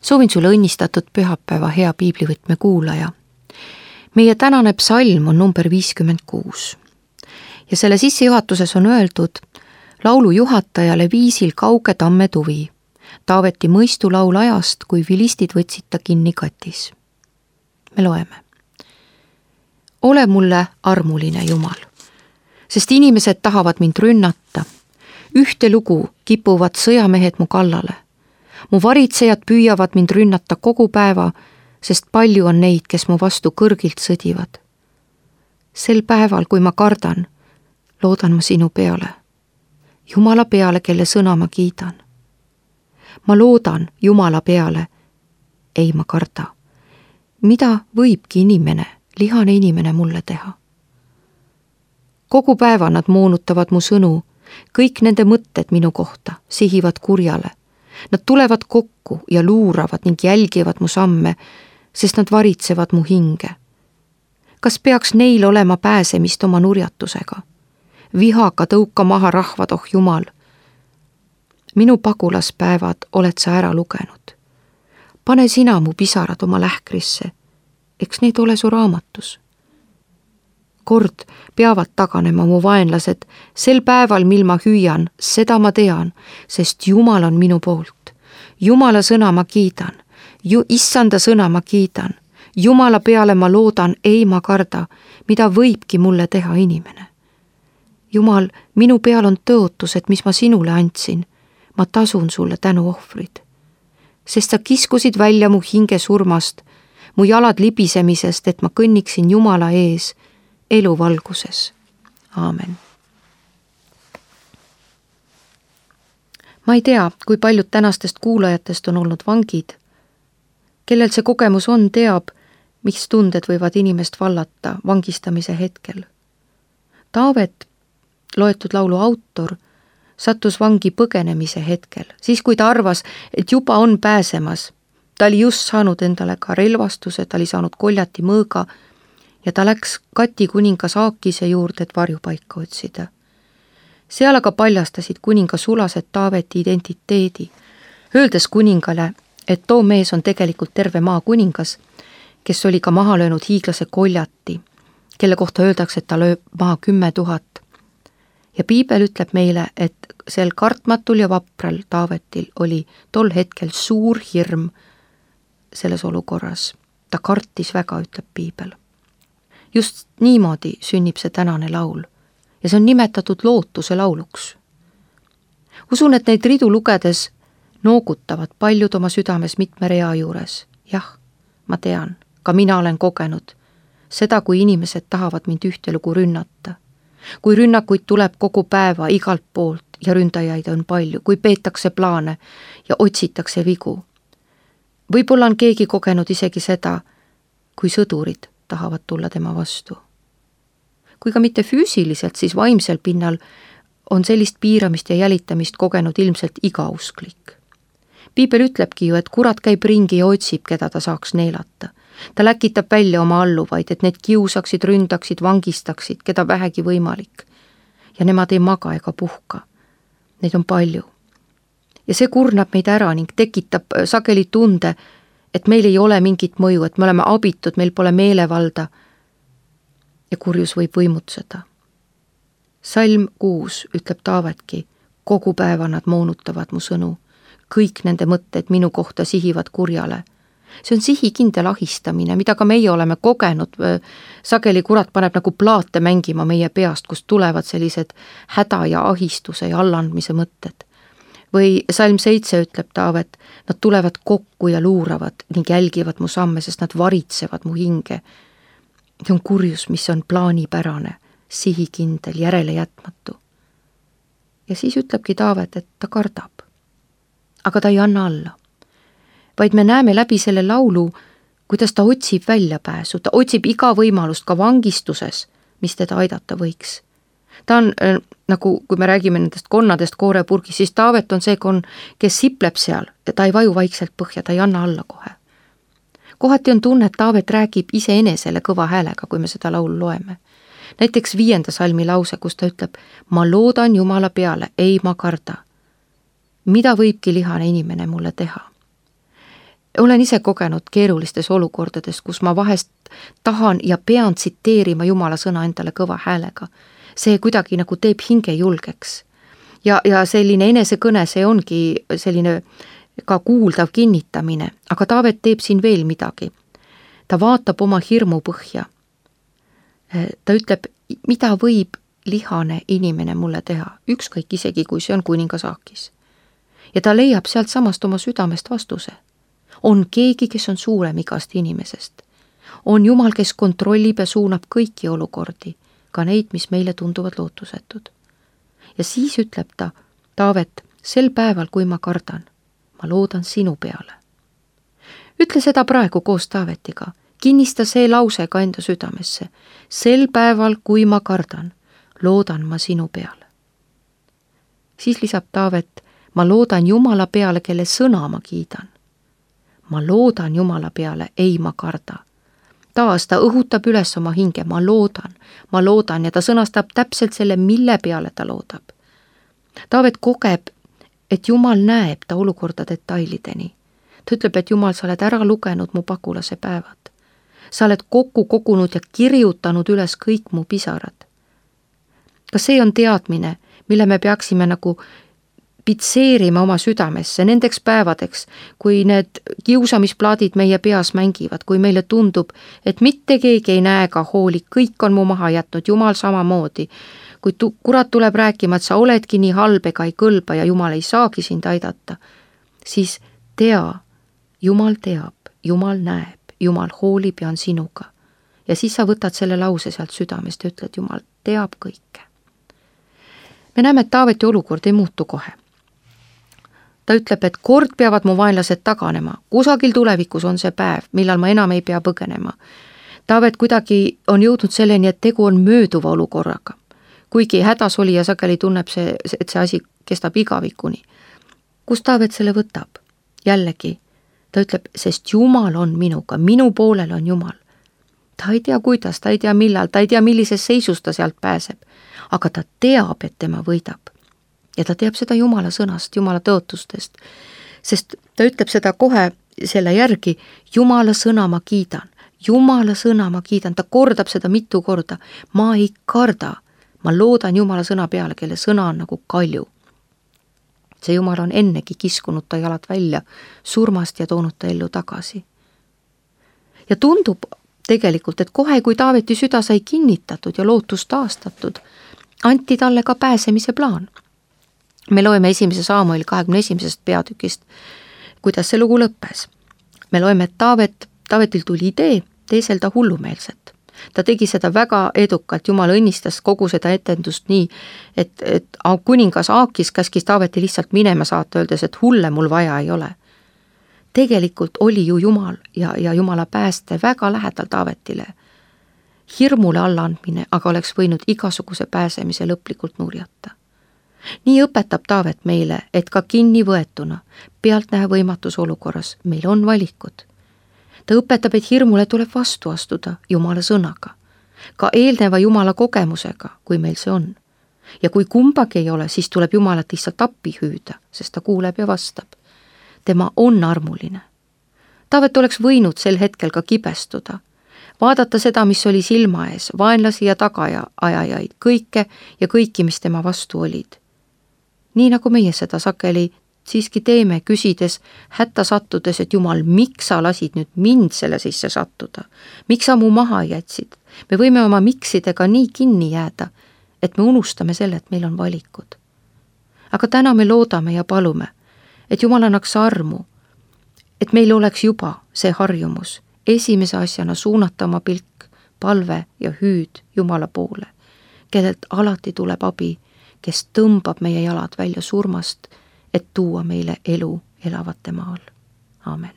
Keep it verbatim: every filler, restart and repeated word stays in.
Soovin sulle õnnistatud pühapäeva, hea piiblivõtme kuulaja. Meie tänane psalm on number viiskümmend kuus. Ja selle sissejuhatuses on öeldud laulu juhatajale viisil kauge tamme tuvi. Taaveti mõistulaul ajast, kui vilistid võtsid ta kinni katis. Me loeme. Ole mulle armuline Jumal, sest inimesed tahavad mind rünnata. Ühte lugu kipuvad sõjamehed mu kallale. Mu varitsejad püüavad mind rünnata kogu päeva, sest palju on neid, kes mu vastu kõrgilt sõdivad. Sel päeval, kui ma kardan, loodan ma sinu peale. Jumala peale, kelle sõna ma kiidan. Ma loodan Jumala peale, ei ma karda. Mida võibki inimene, lihane inimene mulle teha? Kogu päeva nad moonutavad mu sõnu, kõik nende mõtted minu kohta sihivad kurjale. Nad tulevad kokku ja luuravad ning jälgivad mu samme, sest nad varitsevad mu hinge. Kas peaks neil olema pääsemist oma nurjatusega? Vihaga tõuka maha rahvad, oh Jumal. Minu pagulaspäevad oled sa ära lugenud. Pane sina mu pisarad oma lähkrisse, eks need ole su raamatus. Kord peavad taganema mu vaenlased, sel päeval, mil ma hüüan, seda ma tean, sest Jumal on minu poolt. Jumala sõna ma kiidan, Ju, issanda sõna ma kiidan. Jumala peale ma loodan, ei ma karda, mida võibki mulle teha inimene. Jumal, minu peal on tõotused, mis ma sinule andsin. Ma tasun sulle tänu ohvrid. Sest sa kiskusid välja mu hinge surmast, mu jalad libisemisest, et ma kõnniksin Jumala ees, elu valguses. Aamen. Ma ei tea, kui paljud tänastest kuulajatest on olnud vangid. Kellel see kogemus on, teab, mis tunded võivad inimest vallata vangistamise hetkel. Taavet, loetud laulu autor, sattus vangi põgenemise hetkel, siis kui ta arvas, et juba on pääsemas. Ta oli just saanud endale ka relvastuse, ta oli saanud koljati mõõga, ja ta läks Kati kuningas Aakise juurde, et varjupaika otsida. Seal aga paljastasid kuninga sulased Taaveti identiteedi, öeldes kuningale, et too mees on tegelikult terve maa kuningas, kes oli ka maha löönud hiiglase koljati, kelle kohta öeldakse, et ta lööb maha kümme tuhat. Ja piibel ütleb meile, et sel kartmatul ja vapral Taavetil oli tol hetkel suur hirm selles olukorras. Ta kartis väga, ütleb piibel. Just niimoodi sünnib see tänane laul ja see on nimetatud lootuse lauluks. Usun, et neid ridu lugedes noogutavad paljud oma südames mitme rea juures. Jah, ma tean, ka mina olen kogenud seda, kui inimesed tahavad mind ühtelugu rünnata. Kui rünnakuid tuleb kogu päeva igalt poolt ja ründajaid on palju, kui peetakse plaane ja otsitakse vigu. Võib-olla on keegi kogenud isegi seda, kui sõdurid tahavad tulla tema vastu. Kui ka mitte füüsiliselt, siis vaimsel pinnal on sellist piiramist ja jälitamist kogenud ilmselt iga usklik. Piibel ütlebki ju, et kurat käib ringi ja otsib, keda ta saaks neelata. Ta läkitab välja oma alluvaid, et need kiusaksid, ründaksid, vangistaksid, keda vähegi võimalik. Ja nemad ei maga ega puhka. Neid on palju. Ja see kurnab meid ära ning tekitab sageli tunde, et meil ei ole mingit mõju, et me oleme abitud, meil pole meelevalda ja kurjus võib võimutseda. Salm kuus ütleb Taavetki, kogu päeva nad moonutavad mu sõnu, kõik nende mõtted minu kohta sihivad kurjale. See on sihikindel ahistamine, mida ka meie oleme kogenud. Sageli kurat paneb nagu plaate mängima meie peast, kust tulevad sellised häda ja ahistuse ja allandmise mõtted. Või salm seitse ütleb Taavet, nad tulevad kokku ja luuravad ning jälgivad mu samme, sest nad varitsevad mu hinge. See on kurjus, mis on plaanipärane, sihikindel, järele jätmatu. Ja siis ütlebki Taavet, et ta kardab. Aga ta ei anna alla. Vaid me näeme läbi selle laulu, kuidas ta otsib väljapääsu, ta otsib iga võimalust ka vangistuses, mis teda aidata võiks. Ta on äh, nagu, kui me räägime nendest konnadest koorepurgis, siis Taavet on see konn, kes sipleb seal ja ta ei vaju vaikselt põhja, ta ei anna alla kohe. Kohati on tunne, et Taavet räägib iseenesele kõva häälega, kui me seda laulu loeme. Näiteks viienda salmi lause, kus ta ütleb, ma loodan Jumala peale, ei ma karda. Mida võibki lihane inimene mulle teha? olen ise kogenud keerulistes olukordades, kus ma vahest tahan ja pean tsiteerima Jumala sõna endale kõva häälega. See kuidagi nagu teeb hinge julgeks. Ja, ja selline enesekõne, see ongi selline ka kuuldav kinnitamine, aga Taavet teeb siin veel midagi. Ta vaatab oma hirmu põhja. Ta ütleb, mida võib lihane inimene mulle teha, ükskõik isegi, kui see on kuningas Aakis. Ja ta leiab sealt samast oma südamest vastuse. On keegi, kes on suurem igast inimesest. On Jumal, kes kontrollib ja suunab kõiki olukordi, ka neid, mis meile tunduvad lootusetud. Ja siis ütleb ta, Taavet, sel päeval, kui ma kardan, ma loodan sinu peale. Ütle seda praegu koos Taavetiga. Kinnista see lause ka enda südamesse. Sel päeval, kui ma kardan, loodan ma sinu peale. Siis lisab Taavet, ma loodan Jumala peale, kelle sõna ma kiidan. Ma loodan Jumala peale, ei ma karda. Taas ta õhutab üles oma hinge, ma loodan, ma loodan ja ta sõnastab täpselt selle, mille peale ta loodab. Taavet kogeb, et Jumal näeb ta olukorda detailideni. Ta ütleb, et Jumal, sa oled ära lugenud mu pagulase päevad. Sa oled kokku kogunud ja kirjutanud üles kõik mu pisarad. Kas see on teadmine, mille me peaksime nagu pitseerima oma südamesse nendeks päevadeks, kui need kiusamisplaadid meie peas mängivad, kui meile tundub, et mitte keegi ei näe ega hooli, kõik on mu maha jätnud, Jumal samamoodi. Kui tu, kurat tuleb rääkima, et sa oledki nii halb ega ei kõlba ja Jumal ei saagi sind aidata, siis tea, Jumal teab, Jumal näeb, Jumal hoolib ja on sinuga. Ja siis sa võtad selle lause sealt südamest ja ütled, Jumal teab kõike. Me näeme, et Taaveti olukord ei muutu kohe. Ta ütleb, et kord peavad mu vaenlased taganema, kusagil tulevikus on see päev, millal ma enam ei pea põgenema. Taavet kuidagi on jõudnud selleni, et tegu on mööduva olukorraga. Kuigi hädas oli ja sageli tunneb see, et see asi kestab igavikuni. Kus Taavet selle võtab? Jällegi, ta ütleb, sest Jumal on minuga, minu poolel on Jumal. Ta ei tea, kuidas, ta ei tea millal, ta ei tea, millises seisus ta sealt pääseb, aga ta teab, et tema võidab. Ja ta teab seda Jumala sõnast, Jumala tõotustest, sest ta ütleb seda kohe selle järgi, Jumala sõna ma kiidan, Jumala sõna ma kiidan, ta kordab seda mitu korda, ma ei karda, ma loodan Jumala sõna peale, kelle sõna on nagu kalju. See Jumal on ennegi kiskunud ta jalad välja surmast ja toonud ta ellu tagasi. Ja tundub tegelikult, et kohe, kui Taaveti süda sai kinnitatud ja lootus taastatud, anti talle ka pääsemise plaan. Me loeme esimese Saamueli kahekümne esimesest peatükist, kuidas see lugu lõppes. Me loeme, et Taavet, Taavetil tuli idee teeselda hullumeelset. Ta tegi seda väga edukalt, Jumal õnnistas kogu seda etendust nii, et, et kuningas Aakis käskis Taaveti lihtsalt minema saata, öeldes, et hulle mul vaja ei ole. Tegelikult oli ju Jumal ja, ja Jumala pääste väga lähedal Taavetile. Hirmule allaandmine aga oleks võinud igasuguse pääsemise lõplikult nurjata. Nii õpetab Taavet meile, et ka kinni võetuna, pealtnäha võimatus olukorras, meil on valikud. Ta õpetab, et hirmule tuleb vastu astuda Jumala sõnaga, ka eelneva Jumala kogemusega, kui meil see on. Ja kui kumbagi ei ole, siis tuleb Jumalat lihtsalt appi hüüda, sest ta kuuleb ja vastab. Tema on armuline. Taavet oleks võinud sel hetkel ka kibestuda, vaadata seda, mis oli silma ees, vaenlasi ja tagaja ajajaid, kõike ja kõiki, mis tema vastu olid. Nii nagu meie seda sageli siiski teeme, küsides, hätta sattudes, et Jumal, miks sa lasid nüüd mind selle sisse sattuda? Miks sa mu maha jätsid? Me võime oma miksidega nii kinni jääda, et me unustame selle, et meil on valikud. Aga täna me loodame ja palume, et Jumal annaks armu, et meil oleks juba see harjumus, esimese asjana suunata oma pilk, palve ja hüüd Jumala poole, kellelt alati tuleb abi, kes tõmbab meie jalad välja surmast, et tuua meile elu elavate maal. Aamen.